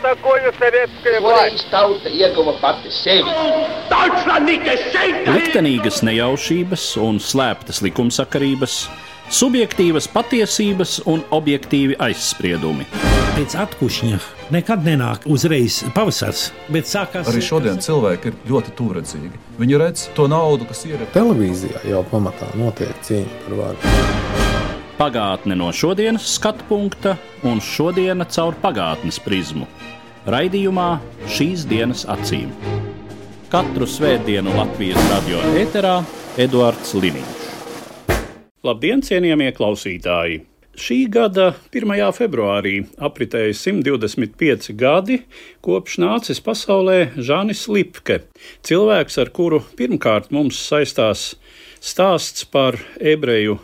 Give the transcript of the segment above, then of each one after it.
такое советское власть. Tauta ieguva pati sevi. Liktenīgas nejaušības un slēptas likumsakarības, subjektīvas patiesības un objektīvi aizspriedumi. Pēc atkušņa nekad nenāk uzreiz pavasars, bet sākās... Arī šodien cilvēki ir ļoti tūredzīgi. Viņi redz to naudu, kas ir. Televīzijā jau pamatā notiek cīņa par varu. Pagātne no šodienas skatu punkta un šodiena caur pagātnes prizmu. Raidījumā Šīs dienas acīm. Katru svētdienu Latvijas radio ēterā Eduards Liniņš. Labdien, cienījamie klausītāji! Šī gada 1. februārī apritēja 125 gadi, kopš nācis pasaulē Žanis Lipke, cilvēks, ar kuru pirmkārt mums saistās stāsts par ebreju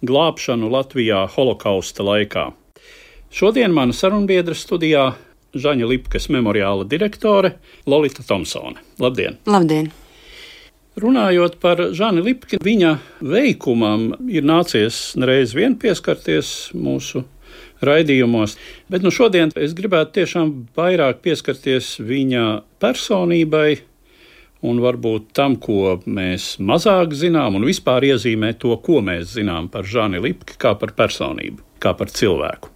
glābšanu Latvijā holokausta laikā. Šodien mana sarunbiedra studijā Žaņa Lipkes memoriāla direktore Lolita Tomsone. Labdien! Labdien! Runājot par Žani Lipki, viņa veikumam ir nācies nereiz vien pieskarties mūsu raidījumos, bet šodien es gribētu tiešām vairāk pieskarties viņa personībai un varbūt tam, ko mēs mazāk zinām, un vispār iezīmēt to, ko mēs zinām par Žani Lipki kā par personību, kā par cilvēku.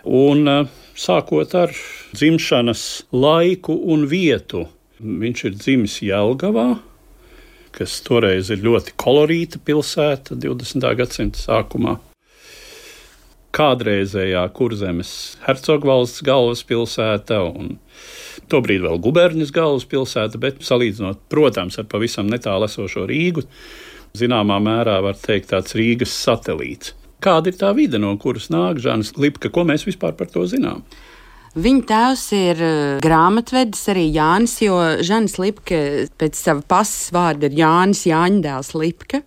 Un sākot ar dzimšanas laiku un vietu, viņš ir dzimis Jelgavā, kas toreiz ir ļoti kolorīta pilsēta 20. gadsimta sākumā. Kādreizējā Kurzemes hercogvalsts galvaspilsēta un tobrīd vēl guberņas galvaspilsēta, bet salīdzinot, protams, ar pavisam netālu esošo Rīgu, zināmā mērā var teikt tāds Rīgas satelīts. Kāda ir tā vide, no kuras nāk Žanis Lipke? Ko mēs vispār par to zinām? Viņa tēvs ir grāmatvedis arī Jānis, jo Žanis Lipke pēc sava pasas vārda ir Jānis Jāņdēls Lipke.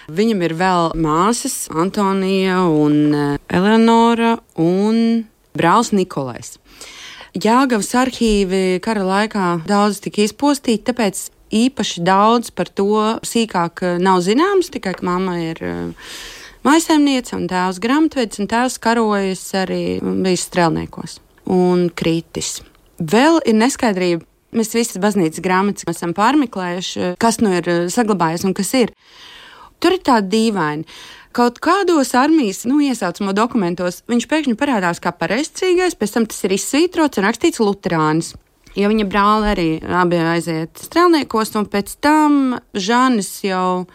Viņam ir vēl māsas Antonija un Eleonora un brālis Nikolais. Jelgavas arhīvi kara laikā daudz tika izpostīti, tāpēc īpaši daudz par to sīkāk nav zināms, tikai ka mamma ir mājsaimniece un tēvs grāmatvedis, un tēvs karojas arī bijis strēlniekos un kritis. Vēl ir neskaidrība. Mēs visas baznīcas grāmatas esam pārmeklējuši, kas ir saglabājies un kas ir. Tur ir tāda dīvaina. Kaut kādos armijas iesaucamo dokumentos viņš pēkšņi parādās kā pareizcīgais, pēc tam tas ir izsvītrots un rakstīts luterānis. Jo viņa brāli arī abi aiziet strēlniekos, un pēc tam Žanis jau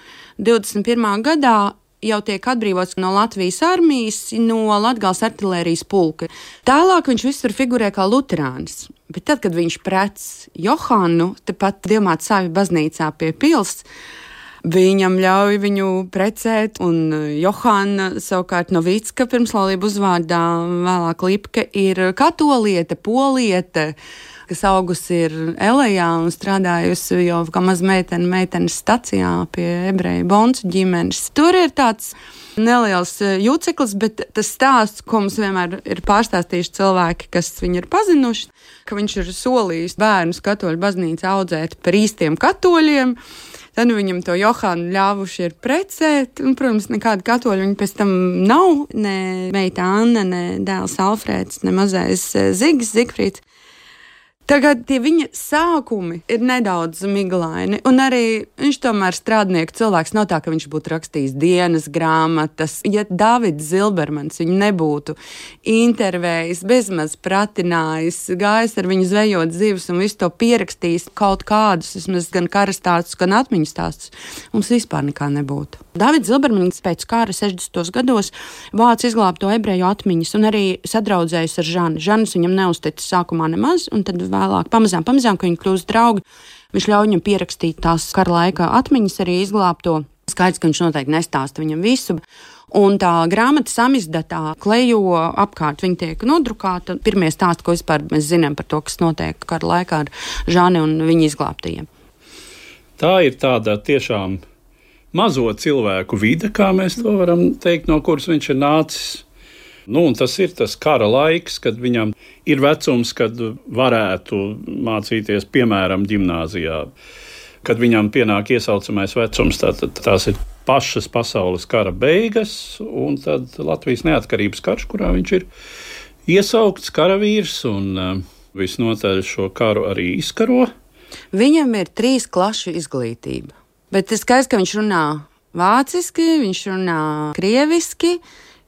21. gadā jau tiek atbrīvots no Latvijas armijas, no Latgales artilērijas pulka. Tālāk viņš visur figurē kā luterānis. Bet tad, kad viņš prec Johanu, tepat Dievmātes baznīcā pie pils, viņam ļauj viņu precēt, un Johana savukārt Novicka pirmslaulību uzvārdā, vēlāk Lipke, ir katoliete, poliete, kas augusi ir Elejā un strādājusi jau kā maz meitenes stacijā pie ebreju boncu ģimenes. Tur ir tāds neliels jūceklis, bet tas stāsts, ko mums vienmēr ir pārstāstījuši cilvēki, kas viņu ir pazinuši, ka viņš ir solījis bērnus katoļu baznīcā audzēt par īstiem katoļiem. Tad viņam to Johanu ļāvuši ir precēt, un, protams, nekāda katoļa viņa pēc tam nav, ne meita Anna, ne dēls Alfrēds, ne mazais Zigfrīds. Tagad tie viņa sākumi ir nedaudz miglaini, un arī viņš tomēr strādnieku cilvēks, nav tā, ka viņš būtu rakstījis dienas grāmatas. Ja Davids Zilbermans viņu nebūtu intervējis, bezmaz pratinājis, gājis ar viņu zvejot zivs un visu to pierakstījis kaut kādus, vismaz gan karastāstus, gan atmiņu stāstus, mums vispār nekā nebūtu. Davids Zilbermans pēc kara 60. gados vāc izglābto ebreju atmiņas un arī sadraudzējis ar Žani. Žanis viņam neuzticis sākumā nemaz, un tad vēlāk pamazām, ka viņi kļūst draugi, viņš ļauj viņam pierakstīt tās kara laika atmiņas, arī izglābto. Skaidrs, ka viņš noteikti nestāsta viņam visu. Un tā grāmata samizdatā klejo apkārt, viņa tiek nodrukāta. Pirmie stāsti, ko vispār mēs zinām par to, kas notiek kara laikā ar Žani un viņa izglābtajiem. Tā ir tāda tiešām mazo cilvēku vide, kā mēs to varam teikt, no kuras viņš ir nācis. Un tas ir tas kara laiks, kad viņam ir vecums, kad varētu mācīties, piemēram, ģimnāzijā. Kad viņam pienāk iesaucamais vecums, tās ir pašas pasaules kara beigas, un tad Latvijas neatkarības karš, kurā viņš ir iesaukts karavīrs, un visnotaļ šo karu arī izkaro. Viņam ir 3 klašu izglītība. Bet tas skaidrs, ka viņš runā vāciski, viņš runā krieviski.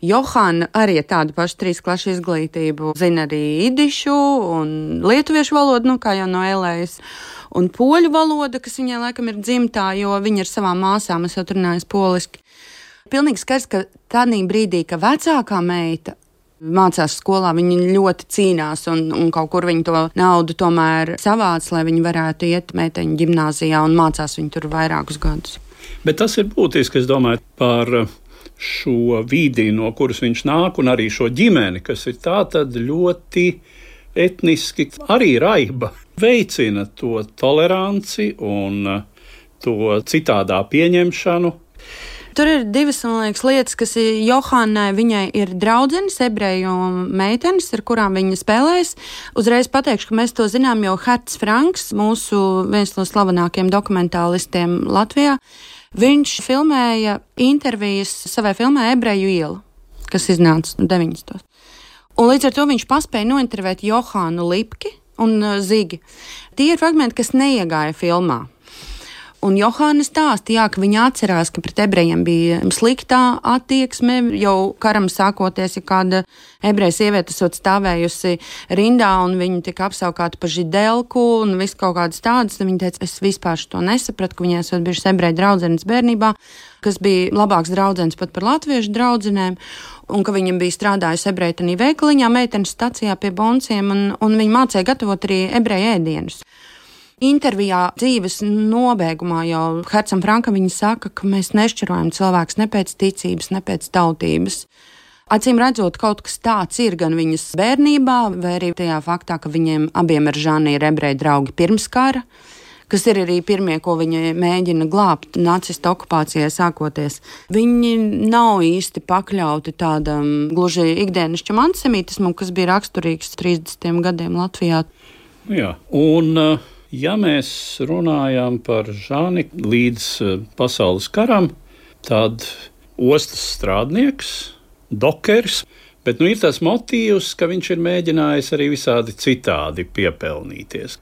Johana arī ir tāda paša 3 klašu izglītību. Zina arī idišu un lietuviešu valodu, kā jau no Elējas. Un poļu valoda, kas viņai laikam ir dzimtā, jo viņa ar savām māsām esot runājis poliski. Pilnīgi skaidrs, ka tādā brīdī, ka vecākā meita mācās skolā, viņi ļoti cīnās un kaut kur viņi to naudu tomēr savāc, lai viņi varētu iet meiteņu ģimnāzijā un mācās viņi tur vairākus gadus. Bet tas ir būtiski, es domāju, par šo vidi, no kuras viņš nāk, un arī šo ģimeni, kas ir tā tad ļoti etniski arī raiba, veicina to toleranci un to citādā pieņemšanu. Tur ir 2, man liekas, lietas, kas ir Johannai. Viņai ir draudzenes, ebreju meitenes, ar kurām viņa spēlēs. Uzreiz pateikšu, ka mēs to zinām, jo Herts Franks, mūsu viens no slavenākajiem dokumentālistiem Latvijā, viņš filmēja intervijas savai filmai Ebreju iela, kas iznāca 90. Un līdz ar to viņš paspēja nointervēt Johānu Lipki un Zigi. Tie ir fragmenti, kas neiegāja filmā. Un Johāna stāstīja, ka viņa atcerās, ka pret ebrejiem bija sliktā attieksme. Jau karam sākoties, ja kāda ebreja sieviete esot stāvējusi rindā un viņa tika apsaukāta par židelku un viss kaut kādas tādas, tad viņa teica, es vispār to nesapratu, ka viņai esot bijušas ebreja draudzenes bērnībā, kas bija labāks draudzenes pat par latviešu draudzenēm, un ka viņa bija strādājusi ebreja veikaliņā, meitenes stacijā pie bonciem, un viņa mācīja gatavot arī ebreja ēdienus. Intervijā dzīves nobeigumā jau Hercam Frankam viņa saka, ka mēs nešķirojam cilvēkus ne pēc ticības, ne pēc tautības. Acīm redzot, kaut kas tāds ir gan viņas bērnībā, vai arī tajā faktā, ka viņiem abiem ar Žani ir ebreju draugi pirms kara, kas ir arī pirmie, ko viņi mēģina glābt nacistu okupācijai sākoties. Viņi nav īsti pakļauti tādam gluži ikdienišķam antisemītismam, kas bija raksturīgs 30. gadiem Latvijā. Jā, un ja mēs runājam par Žani līdz pasaules karam, tad ostas strādnieks, dokeris, bet ir tas motīvs, ka viņš ir mēģinājis arī visādi citādi piepelnīties.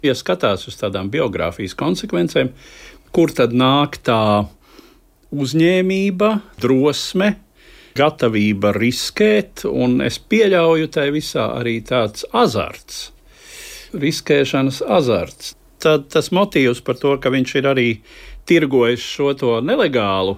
Ja skatās uz tādām biogrāfijas konsekvencēm, kur tad nāk tā uzņēmība, drosme, gatavība riskēt, un es pieļauju tai visā arī tāds azarts. Riskēšanas azarts. Tad tas motīvs par to, ka viņš ir arī tirgojis šo to nelegālu,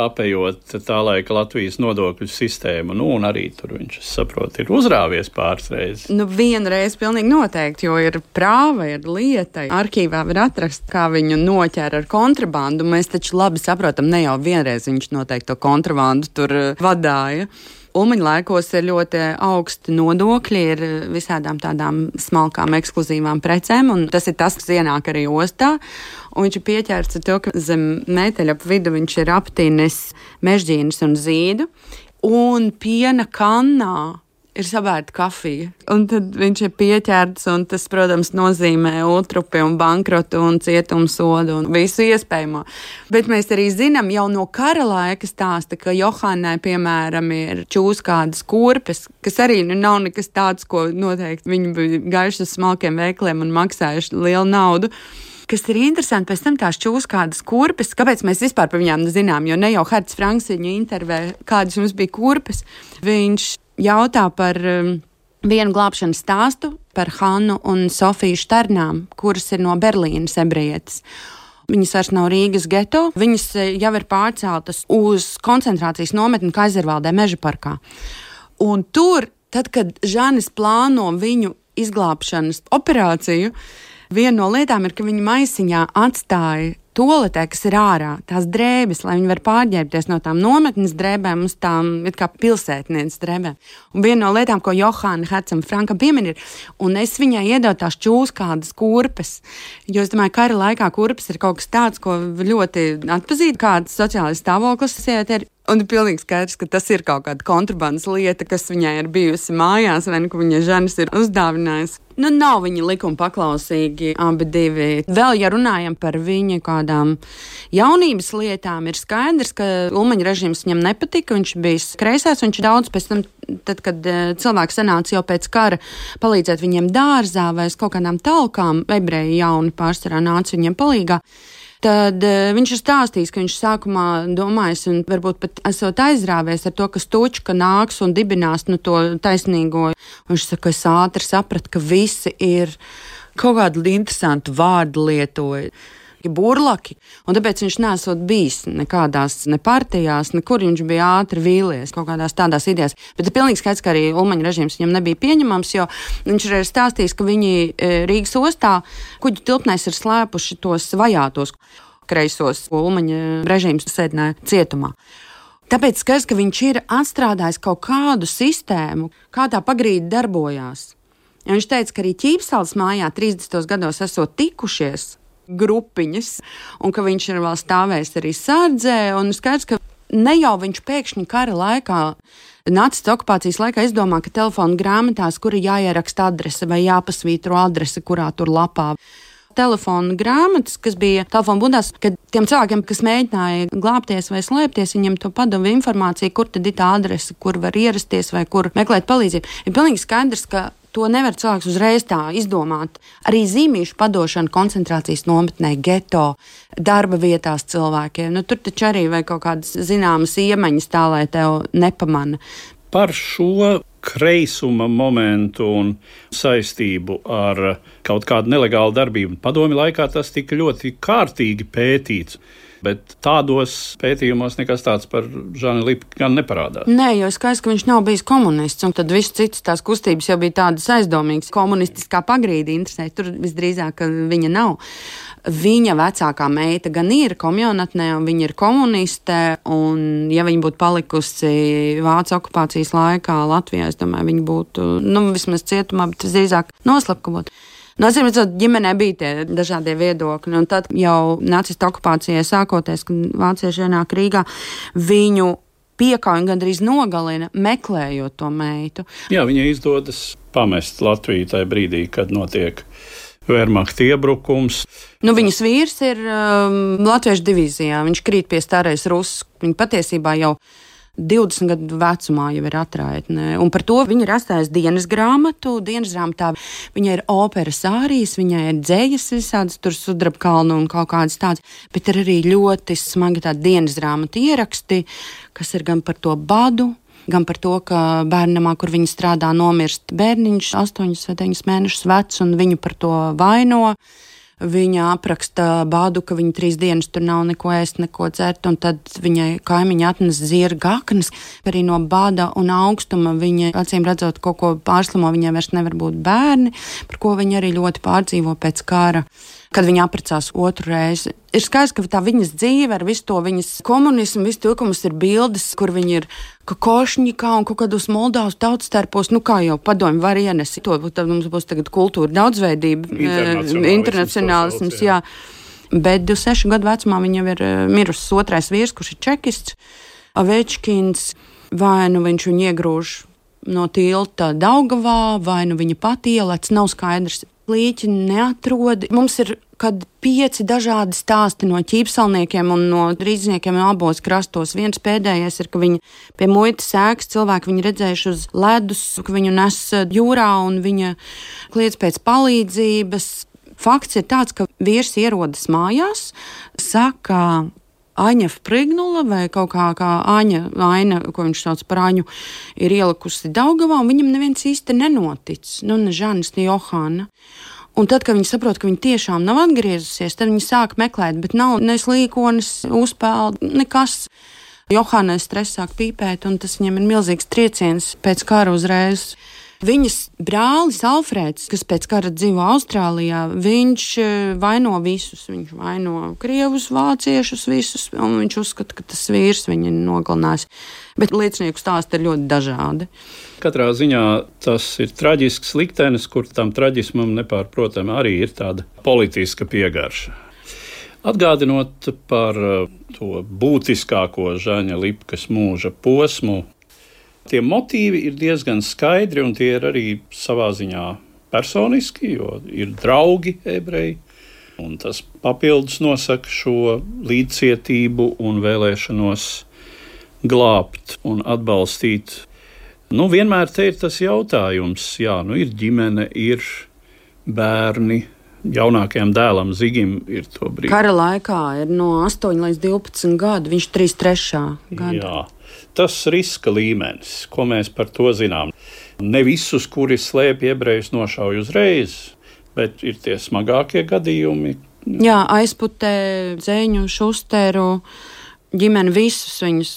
apējot tā laika Latvijas nodokļu sistēmu, un arī tur viņš, es saprotu, ir uzrāvies pāris reizes. Vienreiz pilnīgi noteikti, jo ir prāva, ir lieta. Arhīvā var atrast, kā viņu noķēra ar kontrabandu. Mēs taču labi saprotam, ne jau vienreiz viņš noteikti to kontrabandu tur vadāja. Ulmaņa laikos ir ļoti augsti nodokļi, ir visādām tādām smalkām, ekskluzīvām precēm, un tas ir tas, kas ienāk arī ostā. Un viņš ir pieķērts ar to, ka zem meteļa ap vidu viņš ir aptīnis mežģīnas un zīdu, un piena kannā ir sabērta kafija. Un tad viņš ir pieķerts, un tas, protams, nozīmē ultrupi un bankrotu un cietumsodu un visu iespējamo. Bet mēs arī zinām jau no kara laika stāsta, ka Johannai, piemēram, ir čūskādas kurpes, kas arī nav nekas tāds, ko noteikti viņi bija gājuši uz smalkiem veikliem un maksājuši lielu naudu. Kas ir interesanti, pēc tam tās čūskādas kurpes, kāpēc mēs vispār par viņām zinām, jo ne jau Herts Franks viņu intervē, kādas mums bija kurpes. Viņš jautā par vienu glābšanas stāstu par Hannu un Sofiju Šternām, kuras ir no Berlīnas ebrejietes. Viņas vairs nav Rīgas geto, viņas jau ir pārceltas uz koncentrācijas nometni Kaizervaldē meža parkā. Un tur, tad, kad Žanis plāno viņu izglābšanas operāciju, viena no lietām ir, ka viņa maisiņā atstāja toaletē, kas ir ārā, tās drēbes, lai viņi var pārģērbties no tām nometnes drēbēm uz tām it kā pilsētnieces drēbēm. Un viena no lietām, ko Johāna Hercam Frankam piemin ir, un es viņai iedevu tās čūskādas kurpes, jo es domāju, kara laikā kurpes ir kaut kas tāds, ko ļoti atpazīt, kāds sociālais stāvoklis sieviete ir. Un ir pilnīgi skaidrs, ka tas ir kaut kāda kontrabandas lieta, kas viņai ir bijusi mājās, vai nu, ka viņa Žanis ir uzdāvinājis. Nu, nav viņi likuma paklausīgi abi divi. Vēl, ja runājam par viņa kādām jaunības lietām, ir skaidrs, ka Ulmaņa režīms viņam nepatika, viņš bijis kreisais, viņš daudz pēc tam, tad, kad cilvēki sanāca jau pēc kara palīdzēt viņiem dārzā vai uz kaut kādām talkām, ebreji jauni pārsvarā nāca viņiem palīgā. Tad viņš ir stāstījis, ka viņš sākumā domājis un varbūt pat esot aizrāvies ar to, ka Stučka nāks un dibinās to taisnīgo. Viņš saka, ka es ātri sapratu, ka visi ir kaut kādu interesantu vārdu lietoja. Burlaki, un tāpēc viņš nesot bijis nekādās ne partijās, nekur viņš bija ātri vīlies kaut kādās tādās idejās. Bet ir pilnīgi skaidrs, ka arī Ulmaņa režīms viņam nebija pieņemams, jo viņš ir stāstījis, ka viņi Rīgas ostā kuģu tilpnēs ir slēpuši tos vajātos kreisos, ko Ulmaņa režīms sēdināja cietumā. Tāpēc skaidrs, ka viņš ir atstrādājis kaut kādu sistēmu, kā tā pagrīdi darbojās. Ja viņš teica, ka arī Ķīpsalas mājā 30. gados esot tikušies grupiņas, un ka viņš ir vēl stāvējis arī sardzē, un skaidrs, ka ne jau viņš pēkšņi kara laikā, nacistu okupācijas laikā izdomā, ka telefona grāmatās, kur ir jāieraksta adrese vai jāpasvītro adrese, kurā tur lapā. Telefona grāmatas, kas bija telefona bundās, kad tiem cilvēkiem, kas mēģināja glābties vai slēpties, viņiem to padeva informāciju, kur tad ir tā adrese, kur var ierasties vai kur meklēt palīdzību. Ir pilnīgi skaidrs, ka to nevar cilvēks uzreiz tā izdomāt. Arī zīmīšu padošana koncentrācijas nometnē, geto, darba vietās cilvēkiem. Nu, tur taču arī vai kaut kādas zināmas iemaņas tā, lai tev nepamana. Par šo kreisuma momentu un saistību ar kaut kādu nelegālu darbību padomju laikā tas tika ļoti kārtīgi pētīts. Bet tādos pētījumos nekas tāds par Žani Lipku gan neparādās. Nē, jo skaidrs, ka viņš nav bijis komunists, un tad viss citas tās kustības jau bija tādas aizdomīgas. Komunistiskā pagrīdi interesē, tur visdrīzāk viņa nav. Viņa vecākā meita gan ir komjaunatnē, un viņa ir komuniste, un ja viņa būtu palikusi Vācu okupācijas laikā Latvijā, es domāju, viņa būtu, vismaz cietumā, bet visdrīzāk noslapkavot. Acīm redzot, ģimenē bija tie dažādie viedokļi, un tad jau nacistu okupācijai sākoties, kad vācieši ienāk Rīgā, viņu piekauj un gandrīz nogalina, meklējot to meitu. Jā, viņai izdodas pamest Latviju tajā brīdī, kad notiek Wehrmachta iebrukums. Viņas vīrs ir Latviešu divīzijā, viņš krīt pie starais Russ, viņa patiesībā jau 20 gadu vecumā jau ir atraitne. Un par to viņa ir atstājusi dienas grāmatu. Dienas grāmatā viņai ir operas ārijas, viņai ir dzējas visādas, tur Sudrabkalnu un kaut kādas tādas, bet ir arī ļoti smagi tādi dienas grāmatu ieraksti, kas ir gan par to badu, gan par to, ka bērnamā, kur viņa strādā, nomirst bērniņš 8 vai 9 mēnešus vecs, un viņu par to vaino. Viņa apraksta bādu, ka viņa 3 dienas tur nav neko ēst, neko dzert, un tad viņai kaimiņi atnes zirga aknas. Arī no bāda un augstuma viņa, acīm redzot, kaut ko pārslimo, viņai vairs nevar būt bērni, par ko viņa arī ļoti pārdzīvo pēc kara, kad viņa apprecās otru reizi. Ir skaidrs, ka tā viņas dzīve ar visu to viņas komunismu, visu to, ka mums ir bildes, kur viņi ir Kokošņikā un kaut kādos Moldavas tautstērpos, kā jau padomju var ienest. Tad mums būs tagad kultūra daudzveidība, internacionālisms, jā. Bet 26 gadu vecumā viņa jau ir mirusi otrais vīrs, kurš ir čekists, Avečkins, vai nu viņš viņu iegrūž no tilta Daugavā, vai nu viņa pati ielec, nav skaidrs. Līķi neatrod. Mums ir kad 5 dažādi stāsti no ķīpsalniekiem un no rīzniekiem abos krastos. Viens pēdējais ir, ka viņi pie muitas ēkas cilvēki viņu redzējuši uz ledus, ka viņu nes jūrā un viņa kliedz pēc palīdzības. Fakts ir tāds, ka vīrs ierodas mājās, saka Aņa Prignula vai kaut kā Aina, ko viņš sauc par Aņu, ir ielikusi Daugavā, un viņam neviens īsti nenotic. Ne Žanis, ne Johana. Un tad, kad viņi saprot, ka viņa tiešām nav atgriezusies, tad viņi sāk meklēt, bet nav ne slīkonis, uzpeldi, nekas. Johānai stress sāk pīpēt, un tas viņam ir milzīgs trieciens pēc kara uzreiz. Viņas brālis Alfrēds, kas pēc kara dzīvo Austrālijā, viņš vaino visus. Viņš vaino krievus, vāciešus visus, un viņš uzskata, ka tas vīrs viņu nogalinās. Bet liecinieku stāsti ir ļoti dažādi. Katrā ziņā tas ir traģisks liktenis, kur tam traģismam nepārprotami arī ir tāda politiska piegarša. Atgādinot par to būtiskāko Žaņa Lipkas mūža posmu, tie motīvi ir diezgan skaidri, un tie ir arī savā ziņā personiski, jo ir draugi ebreji, un tas papildus nosaka šo līdzcietību un vēlēšanos glābt un atbalstīt. Vienmēr te ir tas jautājums, ir ģimene, ir bērni. Jaunākajam dēlam Zigim ir to brīdi. Kara laikā ir no 8 līdz 12 gadu, viņš 33. gada. Jā, tas riska līmenis, ko mēs par to zinām. Ne visus, kuri slēpj ebrejus, nešauj uzreiz, bet ir tie smagākie gadījumi. Jā, aizputē Dzeņu, Šusteru ģimeni, visus viņus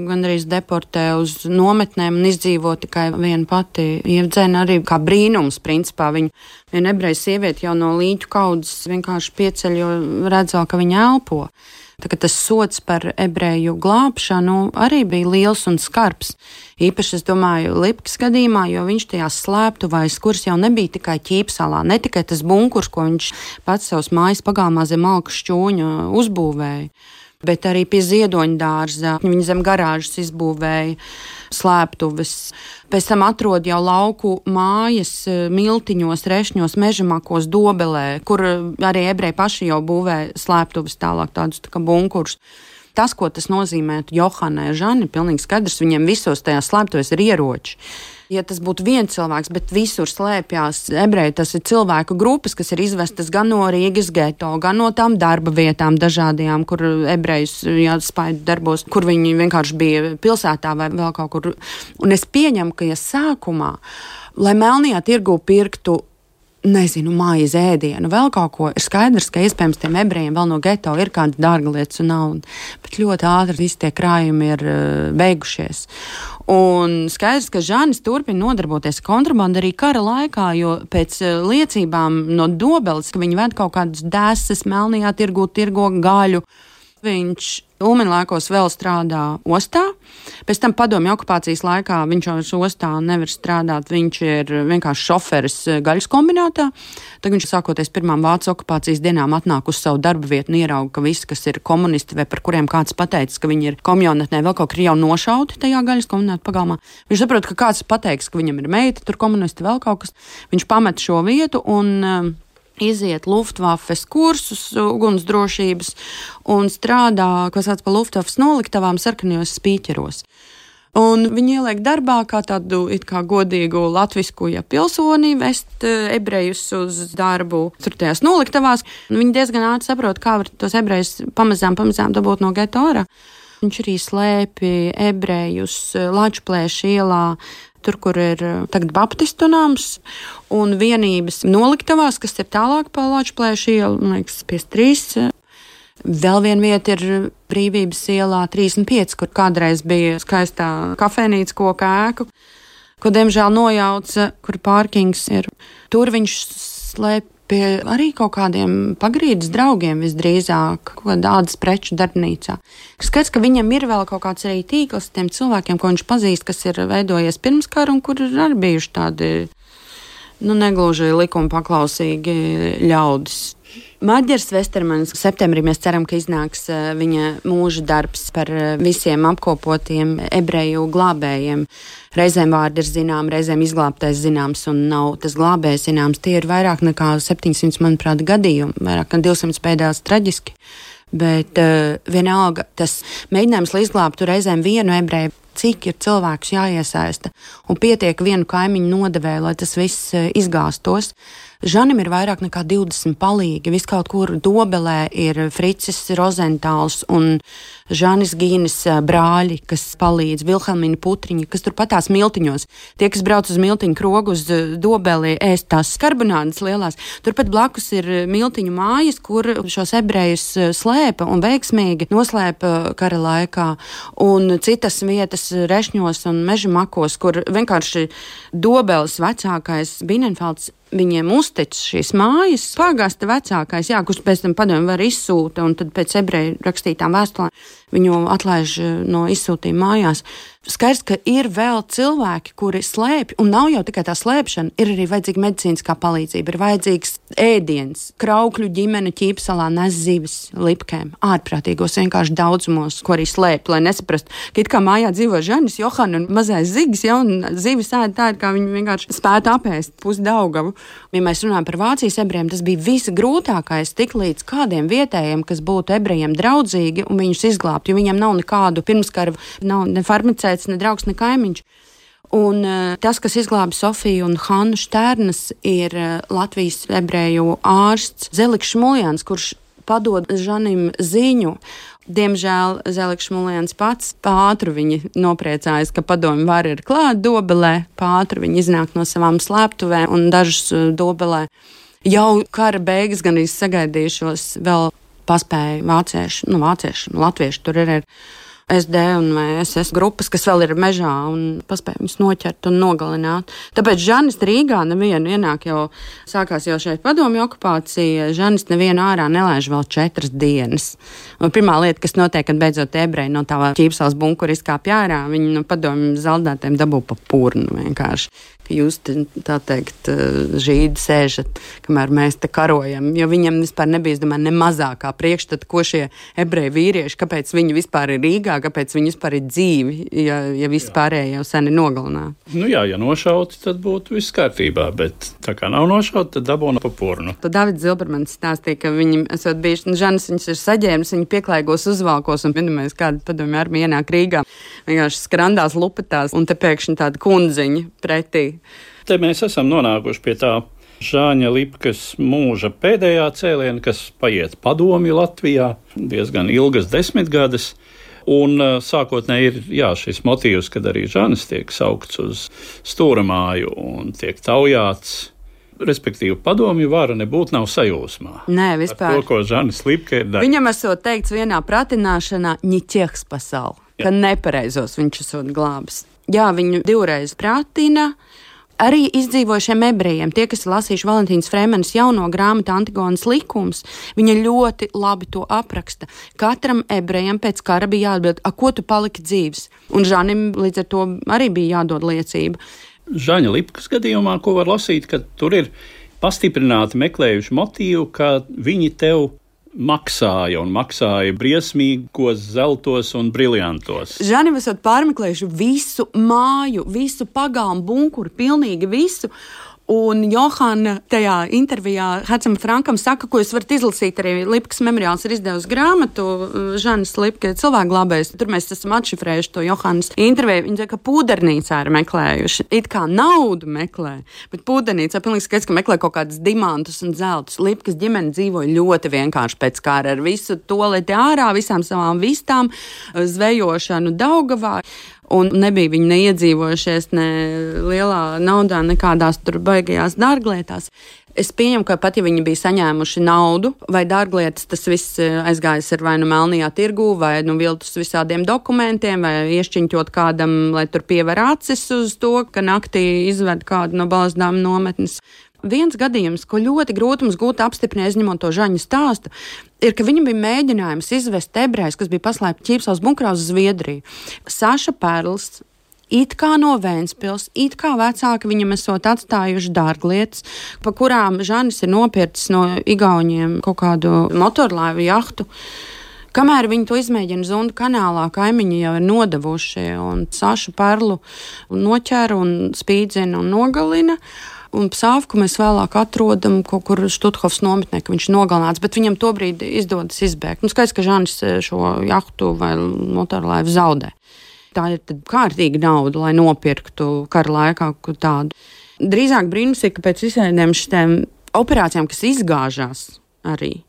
gandrīz deportē uz nometnēm un izdzīvo tikai viena pati Ievdzena, arī kā brīnums, principā. Viena ebreja sieviete jau no līķu kaudzes vienkārši pieceļ, jo redzēja, ka viņa elpo. Tā kā tas sods par ebreju glābšanu arī bija liels un skarbs. Īpaši, es domāju, Lipkas gadījumā, jo viņš tajās slēptuvēs, kuras jau nebija tikai Ķīpsalā, ne tikai tas bunkurs, ko viņš pats savas mājas pagalmā zem malku šķūņa uzbūvēja, bet arī pie Ziedoņa dārza. Viņi zem garāžas izbūvēja slēptuves. Pēc tam atrod jau lauku mājas miltiņos, rešņos, mežamakos, Dobelē, kur arī ebreji paši jau būvē slēptuves tālāk, tādus tā kā bunkurus. Tas, ko tas nozīmē Johanai Žani, pilnīgi skaidrs, viņiem visos tajās slēptuvēs ir ieroči. Ja tas būtu viens cilvēks, bet visur slēpjās ebreji, tas ir cilvēku grupas, kas ir izvestas gan no Rīgas geto, gan no tām darba vietām dažādajām, kur ebrejus spaidu darbos, kur viņi vienkārši bija pilsētā vai vēl kaut kur. Un es pieņemu, ka sākumā, lai melnajā tirgu pirktu, maizi, ēdienu, vēl kaut ko, ir skaidrs, ka iespējams tiem ebrejiem vēl no geto ir kāda dārga lietas un nauda, bet ļoti ātri visi tie krājumi ir beigušies. Un skaidrs, ka Žanis turpina nodarboties kontrabandu arī kara laikā, jo pēc liecībām no Dobeles, ka viņi ved kaut kādas dēsas melnajā tirgo gaļu, viņš Ulmaņa laikos vēl strādā ostā, pēc tam padomju okupācijas laikā viņš jau ostā nevar strādāt, viņš ir vienkārši šoferis gaļas kombinātā. Tad viņš sākoties pirmām Vācijas okupācijas dienām atnāk uz savu darba vietu un ierauga, ka visi, kas ir komunisti vai par kuriem kāds pateicis, ka viņi ir komjaunatnē, vēl kaut kur jau nošauti tajā gaļas kombināta pagalmā. Viņš saprot, ka kāds pateiks, ka viņam ir meita, tur komunisti vēl kaut kas. Viņš pamet šo vietu un iziet Luftwaffes kursus, ugunsdrošības un strādā, ko sauc par Luftwaffes noliktavām sarkanajos spīķeros. Un viņi ieliek darbā kā tādu it kā godīgu latvisku pilsoni, vest ebrejus uz darbu tur tajās noliktavās. Viņi diezgan ātri saprot, kā var tos ebrejus pamazām dabūt no geto ārā. Viņš arī slēpi ebrejus Lačplēša ielā, tur, kur ir tagad baptistu nams, un vienības noliktavās, kas ir tālāk pa Lačplēša ielu, man liekas, 53. Vēl viena vieta ir Brīvības ielā 35, kur kādreiz bija skaistā kafejnīca koka ēku, ko diemžēl nojauca, kur pārkings ir. Tur viņš slēp pie arī kaut kādiem pagrīdes draugiem visdrīzāk, kaut kādā ādas preču darbnīcā. Skats, ka viņam ir vēl kaut kāds arī tīkls tiem cilvēkiem, ko viņš pazīst, kas ir veidojies pirms kara un kur ir arī bijuši tādi, negluži likuma paklausīgi ļaudis. Maģers Vestermans septembrī mēs ceram, ka iznāks viņa mūža darbs par visiem apkopotiem ebreju glābējiem. Reizēm vārdi ir zinām, reizēm izglābtais zināms un nav tas glābējs zināms. Tie ir vairāk nekā 700, manuprāt, gadījumi, vairāk nekā 200 pēdējās traģiski. Bet vienalga tas mēģinājums, lai izglābtu reizēm vienu ebreju, cik ir cilvēks jāiesaista un pietiek vienu kaimiņu nodevēju, lai tas viss izgāstos. Žanim ir vairāk nekā 20 palīgi. Vis kaut kur Dobelē ir Fricis Rozentāls un Žanis Gīnis brāļi, kas palīdz, Vilhelmina Putriņa, kas tur patās miltiņos. Tie, kas brauc uz miltiņu krogu uz Dobeli, ēst tās skarbonādes lielās. Turpat blakus ir miltiņu mājas, kur šos ebrejus slēpa un veiksmīgi noslēpa kara laikā. Un citas vietas Rešņos un Mežamakos, kur vienkārši Dobeles vecākais Binenfelds viņiem uztic šīs mājas. Pāgasta vecākais, kurš pēc tam padomju var izsūta, un tad pēc ebreju rakstītām vēstulēm viņu atlaiž no izsūtījuma mājās. Skaidrs, ka ir vēl cilvēki, kuri slēpj, un nav jau tikai tā slēpšana, ir arī vajadzīga medicīniskā palīdzība, ir vajadzīgs ēdiens. Kraukļu ģimene Ķīpsalā nes zivis lipkēm, ārprātīgos vienkārši daudzumos, ko arī slēpj, lai nesaprastu, ka it kā mājā dzīvo Žanis, Johana un mazais Zigis, ja, un zivis ēd tādi, kā viņi vienkārši spētu apēst pusi Daugavu. Ja mēs runājam par Vācijas ebrejiem, tas bija visgrūtākais tik līdz kādiem vietējiem, kas būtu ebrejiem draudzīgi un viņus izglābt, jo viņiem nav nekādu pirmskara, nav ne farmacēts, ne draugs, ne kaimiņš. Un tas, kas izglāba Sofiju un Hannu Štērnas, ir Latvijas ebreju ārsts Zeliks Šmuljans, kurš padod Žanim ziņu. Diemžēl Zeliks Šmuljans pats pātru viņi nopriecājas, ka padomju vara ir klāt Dobelē, pātru viņi iznāk no savām slēptuvēm un dažus Dobelē. Jau kara beigas gan sagaidījušos vēl paspēja vācieši, latvieši tur ir SD un SS grupas, kas vēl ir mežā un paspēja viņus noķert un nogalināt. Tāpēc Žanis Rīgā nevienu ienāk jau, sākās jau šeit padomju okupācija, Žanis nevienu ārā nelaiž vēl 4 dienas. Un pirmā lieta, kas notiek, kad beidzot ebreji no tā Ķīpsals bunkura izkāpj ārā, viņi no padomju zaldātiem dabū pa purnu vienkārši. Ka jūs, tā teikt, žīdi sēžat, kamēr mēs te karojam, jo viņam vispār nebija, es domāju, ne mazākā priekšstata, ko šie ebreji vīrieši, kāpēc viņi vispār ir Rīgā, kāpēc viņi vispār ir dzīvi, ja viss pārējie jau sen ir nogalināti. Nu jā, ja nošauti, tad būtu viss kārtībā, bet tā kā nav nošauti, tad dabūna pa purnu. Tad Davids Zilbermans stāstīja, ka viņi esot bijuši, Žanis viņus ir saģēmis, viņi pieklājīgos uzvalkos, un vienmēr kāda padomju armija ienāk Rīgā, vienkārši skrandās lupetās, un te pēkšņi tāda kundziņa pretī. Te mēs esam nonākuši pie tā Žāņa Lipkas mūža pēdējā cēliena, kas paiet padomju Latvijā diezgan ilgas 10 gadus. Un sākotnēji ir šis motīvs, kad arī Žanis tiek saukts uz stūramāju un tiek taujāts. Respektīvi, padomju vara nebūtu nav sajūsmā. Nē, vispār. Ar to, ko Žanis Lipka ir darījis. Viņam esot teikts vienā pratināšanā, ņiķieks pasauli, ka nepareizos viņš esot glābis. Jā, viņu 2 reizes pratina. Arī izdzīvojušiem ebrejiem, tie, kas ir lasījuši Valentīnas Frēmenes jauno grāmatu Antigonas likums, viņa ļoti labi to apraksta. Katram ebrejam pēc kara bija jāatbild, ko tu paliki dzīves? Un Žanim līdz ar to arī bija jādod liecība. Žaņa Lipkas gadījumā, ko var lasīt, ka tur ir pastiprināti meklējuši motīvu, ka viņi tev maksāja briesmīgos zeltos un briljantos. Žanim esot pārmeklējuši visu māju, visu pagalmu bunkuru, pilnīgi visu. Un Johana tajā intervijā Hacam Frankam saka, ko jūs varat izlasīt, arī Lipkas memoriāls ir izdevusi grāmatu, Žanis Lipka cilvēkglābējs. Tur mēs esam atšifrējuši to Johanas interviju. Viņa saka, ka pūdernīcā ir meklējuši. It kā naudu meklē, bet pūdernīcā pilnīgi skaidrs, ka meklē kaut kādus dimantus un zeltus. Lipkas ģimene dzīvoja ļoti vienkārši pēc kara ar visu toleti ārā, visām savām vistām, zvejošanu Daugavā. Un nebija viņi neiedzīvojušies ne lielā naudā, nekādās tur baigajās dārglietās. Es pieņemu, ka pat ja viņi bija saņēmuši naudu vai dārglietas, tas viss aizgājis ar vai nu melnajā tirgū, vai nu viltus visādiem dokumentiem, vai iešķiņķot kādam, lai tur piever acis uz to, ka naktī izved kādu no Balsdāmu nometnes. Viens gadījums, ko ļoti grūti mums gūt apstiprināt, izņemot to Žaņa stāstu, ir, ka viņam bija mēģinājums izvest ebrejus, kas bija paslēpti Ķīpsals bunkurā uz Zviedriju. Saša Perls, it kā no Vēnspils, it kā vecāki viņam esot atstājuši dārglietas, pa kurām Žanis ir nopircis no igauņiem kaut kādu motorlaivu jahtu. Kamēr viņi to izmēģina Zunda kanālā, kaimiņi jau ir nodevuši un Sašu Perlu noķēra un spīdzina un nogalina. Un Psāvku mēs vēlāk atrodam kaut kur Štuthofas nometnē, ka viņš ir nogalināts, bet viņam tobrīd izdodas izbēgt. Skaidrs, ka Žanis šo jahtu vai motorlaivu zaudē. Tā ir tad kārtīga nauda, lai nopirktu kara laikā kaut tādu. Drīzāk brīnums ir, ka pēc visiem šitiem operācijām, kas izgāžās arī,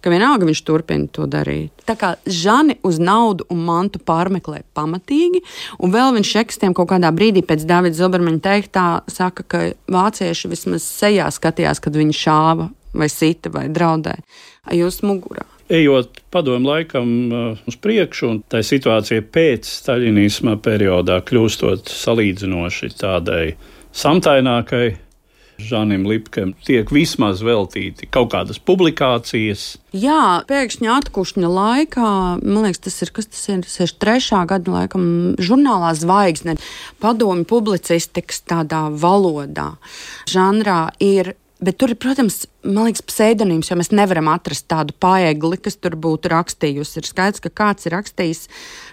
ka vienalga viņš turpina to darīt. Tā kā Žani uz naudu un mantu pārmeklē pamatīgi, un vēl viņš ekstiem kaut kādā brīdī pēc Davida Zilbermaņa teiktā saka, ka vācieši vismaz sejā skatījās, kad viņi šāva vai sita vai draudēja jūs mugurā. Ejot padomu laikam uz priekšu, un tā situācija pēc staļinisma periodā kļūstot salīdzinoši tādai samtainākai, Žanim Lipkam tiek vismaz veltīti kaut kādas publikācijas. Jā, pēkšņi atkušņa laikā, man liekas, tas ir 63. gada laikam, žurnālā Zvaigzne, padomju publicistikas tādā valodā, žanrā ir. Bet tur ir, protams, man liekas, pseidonīms, jo mēs nevaram atrast tādu paegli, kas tur būtu rakstījusi. Ir skaidrs, ka kāds ir rakstījis,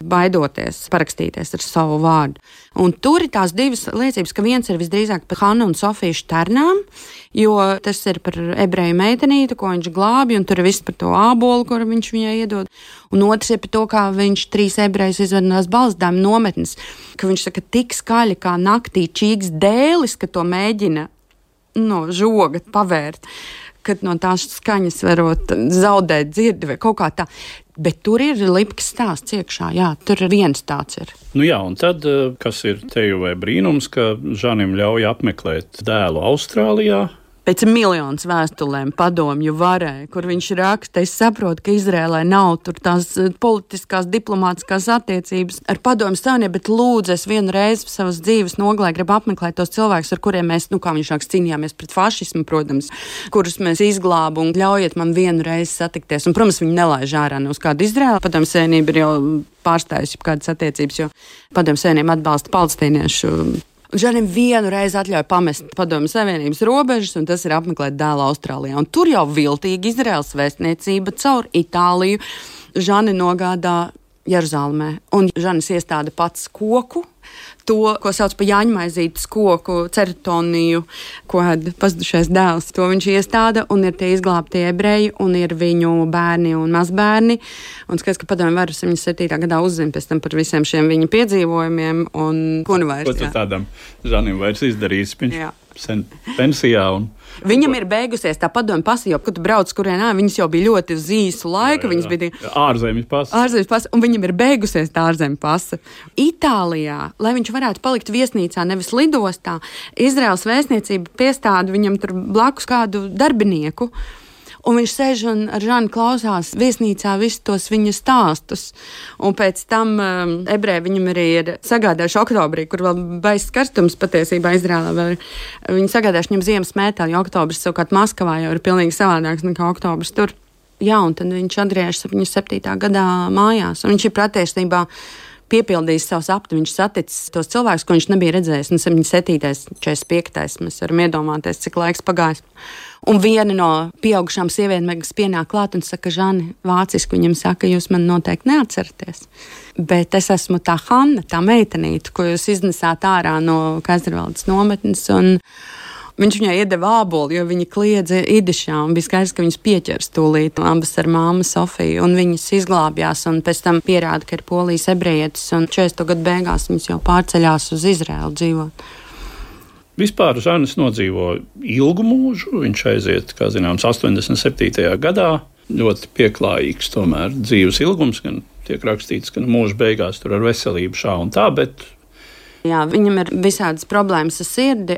baidoties parakstīties ar savu vārdu. Un tur ir tās divas liecības, ka viens ir visdrīzāk par Hannu un Sofiju Šternām, jo tas ir par ebreju meitenīti, ko viņš glābi, un tur ir viss par to ābolu, kuru viņš viņai iedod. Un otrs ir par to, kā viņš 3 ebrejus izved no balsdām nometnes, ka viņš saka tik skaļi kā naktī čīgs dēlis, ka to mēģina no žoga pavērt, kad no tās skaņas varot zaudēt dzirdi vai kaut kā tā. Bet tur ir Lipkas stāsts iekšā, jā, tur viens tāds ir. Nu jā, un tad, kas ir teju vai brīnums, ka Žanim ļauj apmeklēt dēlu Austrālijā. Pēc miljonus vēstulēm padomju varai, kur viņš raksta, es saprotu, ka Izrēlē nav tur tās politiskās, diplomātiskās attiecības ar padomju savienību, bet lūdzu, es vienu reizi savas dzīves nogalē gribu apmeklēt tos cilvēkus, ar kuriem mēs, kā viņš raksta, cīnījāmies pret fašismu, protams, kurus mēs izglābu un ļaujiet man vienu reizi satikties. Un, protams, viņi nelaiž ārā uz kādu Izrēlu. Padomju savienība ir jau pārstājusi kādas attiecības, jo padomju savienība atbalsta palestīniešu. Žanim vienu reizi atļauj pamest padomju savienības robežas, un tas ir apmeklēt dēlu Austrālijā. Un tur jau viltīgi Izraels vēstniecība caur Itāliju Žani nogādā Jeruzalemē. Un Žanis iestāda pats koku, to, ko sauc par Jāņmaizītes koku, ceritoniju, ko pazudušais dēls. To viņš iestāda, un ir tie izglābtie ebreji, un ir viņu bērni un mazbērni. Un skaidrs, ka padomju varu 77. gadā uzzina pēc tam par visiem šiem viņa piedzīvojumiem, un ko nu vairs. Ko tu tādam Žanim vairs izdarījis? Viņš sen pensijā un... Viņam ir beigusies tā padomju pasa, jo, kad tu brauc kurienā, viņas jau bija ļoti uz īsu laiku. Jā. Viņas bija ārzemju pasa. Ārzemju pasa, un viņam ir beigusies tā ārzemju pasa. Itālijā, lai viņš varētu palikt viesnīcā, nevis lidostā, Izraels vēstniecība piestāda viņam tur blakus kādu darbinieku. Un viņš sēž un ar Žanu klausās viesnīcā visus tos viņa stāstus. Un pēc tam ebreji viņam arī ir sagādājuši oktobrī, kur vēl baiss karstums patiesībā Izrēlā. Viņi sagādājuši viņam ziemas mēteli, jo oktobrs savukārt Maskavā jau ir pilnīgi savādāks nekā oktobrs tur. Jā, un tad viņš atgriežas 77. gadā mājās. Un viņš ir patiesībā piepildījis savu sapni. Viņš saticis tos cilvēkus, ko viņš nebija redzējis. Un 77. 45. mēs varam iedomāties, cik laiks pagājis. Un viena no pieaugušām sievietēm pienāk klāt un saka, Žani, vāciski viņam saka, jūs man noteikti neatceraties. Bet es esmu tā Hanna, tā meitenīte, ko jūs iznesāt ārā no Kaiservaldes nometnes. Un viņš viņai iedeva ābolu, jo viņa kliedza idišā, un bija skaidrs, ka viņas pieķers tūlīt abas ar māmu Sofiju, un viņas izglābjās, un pēc tam pierāda, ka ir polijas ebrejietis, un 40. gadu beigās viņas jau pārceļās uz Izraēlu dzīvot. Vispār Žanis nodzīvo ilgu mūžu, viņš aiziet, kā zināms, 87. gadā, ļoti pieklājīgs tomēr dzīves ilgums, gan tiek rakstīts, ka mūža beigās tur ar veselību šā un tā, bet... Jā, viņam ir visādas problēmas ar sirdi,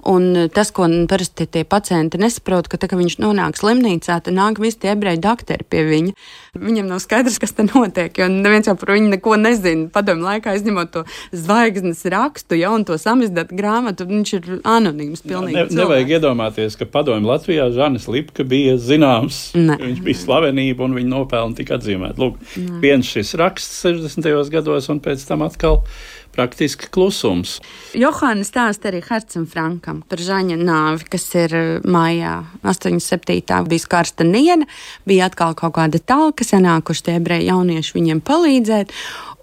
un tas, ko parasti tie pacienti nesaprot, ka tā, ka viņš nonāk slimnīcā, tad nāk visi tie ebreju dakteri pie viņa. Viņam nav skaidrs, kas te notiek, jo neviens jau par viņu neko nezina. Padomju laikā, izņemot to Zvaigznes rakstu, ja, un to samizdatu grāmatu, viņš ir anonīms pilnīgi cilvēks. Nevajag iedomāties, ka padomju Latvijā Žanis Lipka bija zināms. Viņš bija slavenība, un viņa nopelni tika atzīmēt. Lūk, viens šis raksts 60. gados, un pēc tam atkal praktiski klusums. Johāna stāsta arī Hercam Frankam par Žaņa nāvi, kas ir maijā 87. bija karsta diena, bija atkal kaut kāda talka, sanākuši tie ebreji jaunieši viņiem palīdzēt,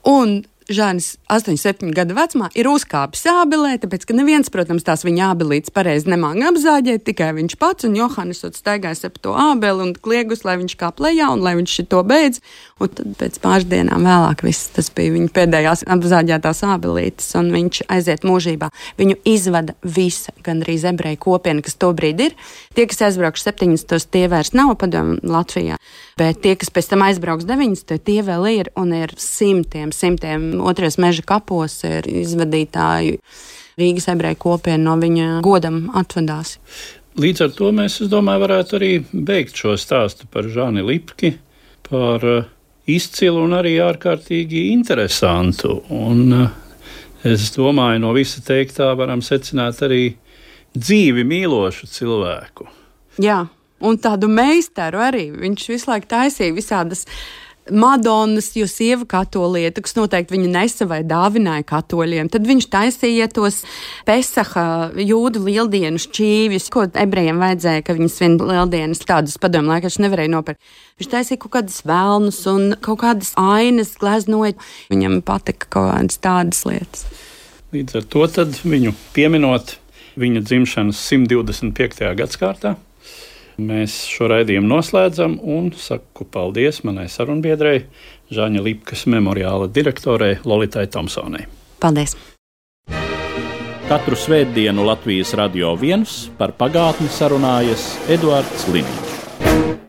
un Žanis 87 gadu vecumā ir uzkāpis ābelē, tāpēc, ka neviens, protams, tās viņa ābelītes pareizi nemāga apzāģēt, tikai viņš pats, un Johānis staigājis ap to ābeli un kliegus, lai viņš kāp lejā un lai viņš šito beidz. Un tad pēc pāris dienām vēlāk viss tas bija viņa pēdējās apzāģētās ābelītes, un viņš aiziet mūžībā. Viņu izvada visa, gandrīz ebreju kopiena, kas tobrīd ir. Tie, kas aizbraukšu 70, tie vairs nav padomju Latvijā, bet tie, kas pēc tam aizbrauks 90, tie vēl ir, un ir simtiem otrais meža kapos ir izvadītāju Rīgas ebreju kopiena no viņa godam atvadās. Līdz ar to mēs, es domāju, varētu arī beigt šo stāstu par Žani Lipki, par izcilu un arī ārkārtīgi interesantu. Un es domāju, no visa teiktā varam secināt arī dzīvi mīlošu cilvēku. Jā, un tādu meistaru arī. Viņš visu laiku taisīja visādas Madonas, jo sieva katolieta, kas noteikti viņa nesa vai dāvināja katoļiem. Tad viņš taisīja tos Pesaha jūdu lieldienu šķīvjus, ko ebrejiem vajadzēja, ka viņas vien lieldienas tādus padomu laikā nevarēja nopirkt. Viņš taisīja kaut kādas velnus un kaut kādas ainas gleznoja. Viņam patika kaut kādas tādas lietas. Līdz ar to tad viņu pieminot viņa dzimšanas 125. gadskārtā, mēs šo raidījumu noslēdzam un saku paldies manai sarunbiedrei, Žaņa Lipkas memoriāla direktorei Lolitai Tomsonai. Paldies! Katru svētdienu Latvijas Radio 1 par pagātni sarunājas Eduards Liniņš.